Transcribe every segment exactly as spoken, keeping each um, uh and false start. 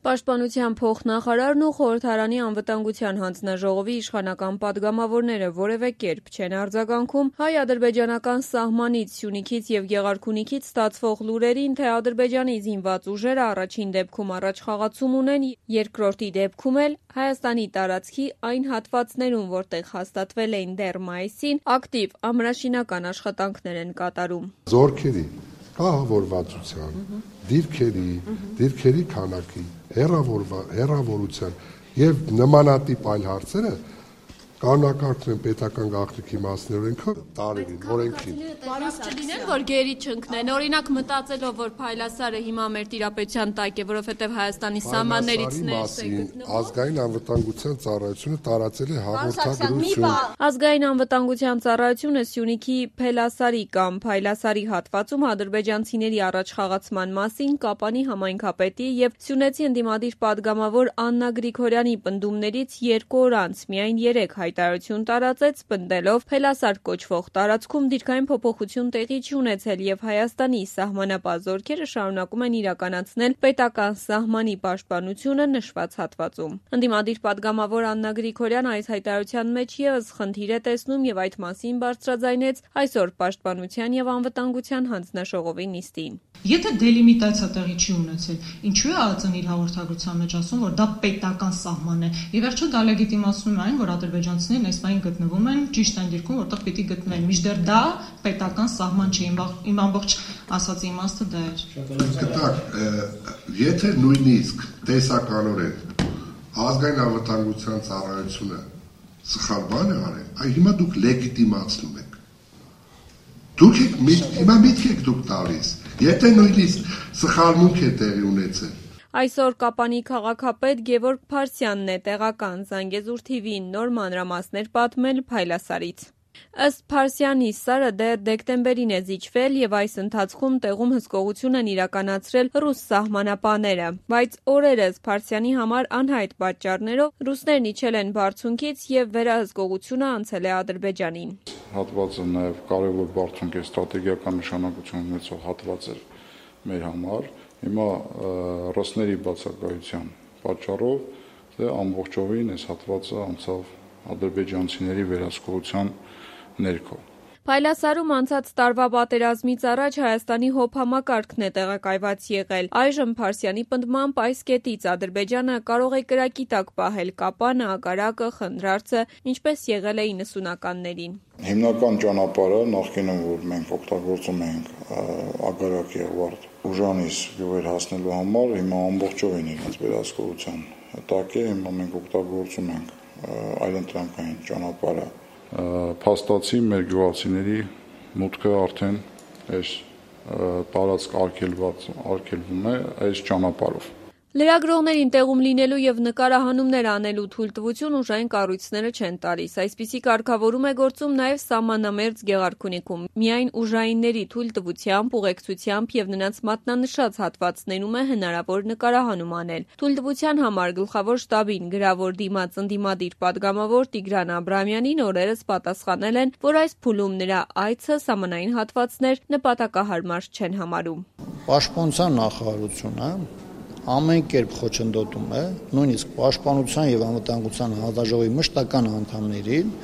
Պաշտպանության փոխնախարարն ու խորհրդարանի անվտանգության հանձնաժողովի իշխանական պատգամավորները որևէ կերպ չեն արձագանքում հայ-ադրբեջանական սահմանից, Սյունիքից և Գեղարքունիքից ստացվող լուրերին, թե Ադրբեջանի զինված ուժերը առաջին դեպքում առաջխաղացում ունեն, երկրորդի դեպքում էլ Հայաստանի տարածքի այն հատվածներում, որտեղ հաստատվել էին դեռ մայիսին, ակտիվ ամրաշինական աշխատանքներ են կատարում։ Զորքերի կահավորվածության, դիրքերի, դիրքերի քանակի, հեռավորության և նմանատիպ այլ հարցերը կանոնակարգվում են պետական գաղտնիքի մասնօրենքով տարերին, օրենքին։ Պարզ չլինեն, որ գերի չընկնեն, օրինակ մտածելով, որ Փայլասարը հիմա մեր տիրապետության տակ է, որովհետև Հայաստանի սահմաններից ներս է գտնվում։ Ազգային անվտանգության ծառայությունը տարածել է հաղորդագրություն։ Ազգային անվտանգության ծառայությունը Սյունիքի Փելասարի կամ Փայլասարի հատվածում ադրբեջանցիների առաջխաղացման մասին Կապանի համայնքապետի և սյունեցի ընդդիմադիր պատգամավոր Աննա Գրիգորյանի պնդումներից երկու օր անց միայն երեք հայտարարություն տարածեց, պնդելով Փելասար կոչվող տարածքում դիրքային փոփոխություն տեղի չի ունեցել և Հայաստանի սահմանապահ զորքերը շարունակում են իրականացնել պետական սահմանի պաշտպանությունը նշված հատվածում։ Ընդդիմադիր պատգամավոր Աննա Գրիգորյանը այս հայտարարության մեջ ևս խնդիր է տեսնում և այդ մասին բարձրաձայնեց այսօր Պաշտպանության և անվտանգության հանձնաժողովի նիստին։ Եթե դելիմիտացիա տեղի չի ունեցել, ինչու է ԱԾՆ իր հաղորդագրության մեջ ասում, որ դա պետական սահման է։ Եվ վերջո դա լեգիտիմացնում է այն, որ ադրբեջանցիներն այս պահին գտնվում են ճիշտ այն դիրքում, որտեղ պիտի գտնվեն։ Մինչդեռ դա պետական սահման չի, իմ ամբողջ ասածի իմաստը դա էր։ Գիտակ, եթե նույնիսկ տեսականորեն ազգային անվտանգության ծառայությունը սխալ բան է արել, այ հիմա դուք լեգիտիմացնում եք։ Դուք եք հիմա միտք եք դուք տալիս, եթե նույնիսկ սխալմունք է տեղի ունեցել։ Այսօր Կապանի քաղաքապետ Գևորգ Փարսյանն է տեղական Զանգեզուր թիվին նոր մանրամասներ պատմել Փայլասարից։ Ըստ Փարսյանի, Սարը դեռ դեկտեմբերին է զիջվել և այս ընթացքում տեղում հսկողություն են իրականացրել ռուս սահմանապահները, բայց օրերս Փարսյանի համար անհայտ պատճառներով ռուսներն իջել են բարձունքից և վերահսկողությունը անցել է Ադրբեջանին։ Հատվածը նաև կարևոր բարձունք է, ստրատեգիական նշանակություն ունեցող հատված էր մեր համար։ Հիմա ռուսների բացակայության պատճառով ամբողջովին այս հատվածը անցավ ադրբեջանցիների վերահսկողության ներքո։ Փայլասարում անցած տարվա պատերազմից առաջ Հայաստանի հոբ համակարգն է տեղակայված եղել։ Այժմ Փարսյանի պնդմամբ այս կետից Ադրբեջանը կարող է կրակի տակ պահել Կապանը, Ագարակը, Խնդրարձը, ինչպես եղել է իննսունականներին։ Հիմնական ճանապարհը նախկինում, որ մենք օգտագործում ենք Ագարակի Ղարտ Ուժանից գյուղեր հասնելու համար, հիմա ամբողջովին իրենց վերահսկողության տակ է, հիմա մենք օգտագործում ենք այլընտրանքային ճանապարհը։ Փաստացի մեր գյուղացիների մուտքը արդեն այս տարածք արգելված արգելվում է այս ճանապարհով։ Լրագրողներին տեղում լինելու և նկարահանումներ անելու թույլտվություն ուժային կառույցները չեն տալիս։ Այսպիսի կարգավորում է գործում նաև սահմանամերձ Գեղարքունիքում։ Միայն ուժայինների թույլտվությամբ, ուղեկցությամբ և նրանց մատնանշած հատվածներում է հնարավոր նկարահանում անել։ Թույլտվության համար գլխավոր շտաբին գրավոր դիմաց ընդդիմադիր պատգամավոր Տիգրան Աբրամյանին օրերս պատասխանել են, որ այս փուլում նրա այցը սահմանային հատվածներ նպատակահարմար չեն համարում։ Պաշտպանության նախարարությունը ամեն կերպ խոչընդոտում է նույնիսկ Պաշտպանության և անվտանգության հանձնաժողովի մշտական անդամներին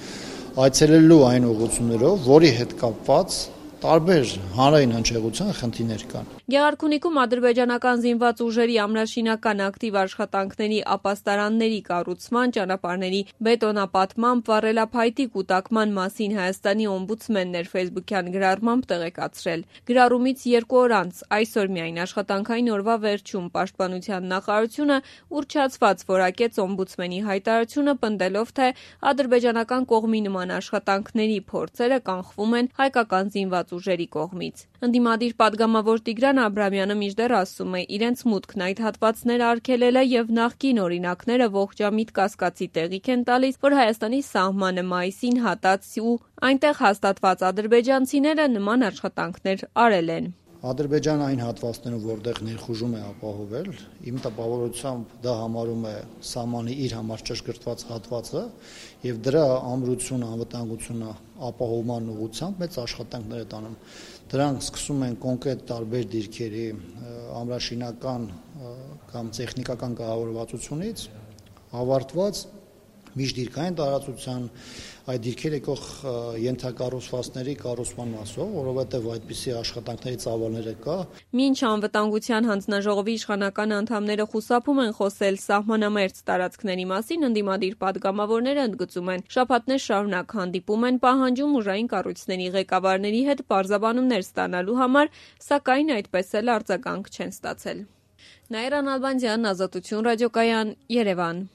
այցելելու այն ուղղություններով, որի հետ կապված տարբեր հանրային հնչեղության խնդիրներ կան։ Գեղարքունիքում ադրբեջանական զինված ուժերի ամրաշինական ակտիվ աշխատանքների ապաստարանների կառուցման, ճանապարհների բետոնապատման, վառելափայտի կուտակման մասին Հայաստանի օմբուդսմենն էր ֆեյսբուքյան գրառմամբ տեղեկացրել։ Գրառումից երկու օր անց, այսօր միայն աշխատանքային օրվա վերջում Պաշտպանության նախարարությունը ուռճացված որակեց օմբուդսմենի հայտարարությունը, պնդելով, թե ադրբեջանական կողմի նման աշխատանքների փորձերը կանխվում են հայկական զինված ուժերի կողմից։ Ընդդիմադիր պատգամավոր Տիգրան Աբրամյանը մինչդեռ ասում է, իրենց մուտքն այդ հատվածներ արգելել է և նախկին օրինակները ողջամիտ կասկածի տեղիք են տալիս, որ Հայաստանի սահմանը մայիսին հատած ու այնտեղ հաստատված ադրբեջանցիները նման աշխատանքներ արել են։ Ադրբեջանը այն հատվածներում, որտեղ ներխուժում է ապահովել, իմ տպավորությամբ դա համարում է սահմանի իր համար ճշգրտված հատվածը եւ դրա ամրությունը, անվտանգությունը ապահովման ուղղությամբ մեծ աշխատանքներ է տանում։ Դրանք սկսում են կոնկրետ տարբեր դիրքերի ամրաշինական կամ տեխնիկական կառավարվածությունից, ավարտված միջդիրքային տարածության այդ դիրքեր եկող ենթակառուցվածքների կառուցման մասով, որովհետև այդպիսի աշխատանքների ծավալները կա։ Մինչ անվտանգության հանձնաժողովի իշխանական անդամները խուսափում են խոսել սահմանամերձ տարածքների մասին, ընդդիմադիր պատգամավորները ընդգծում են, շաբաթներ շարունակ հանդիպում են, պահանջում ուժային կառույցների ղեկավարների հետ պարզաբանումներ ստանալու համար, սակայն այդպես էլ արձագանք չեն ստացել։ Նաիրա Նալբանդյան, Ազատություն ռադիոկայան, Երևան։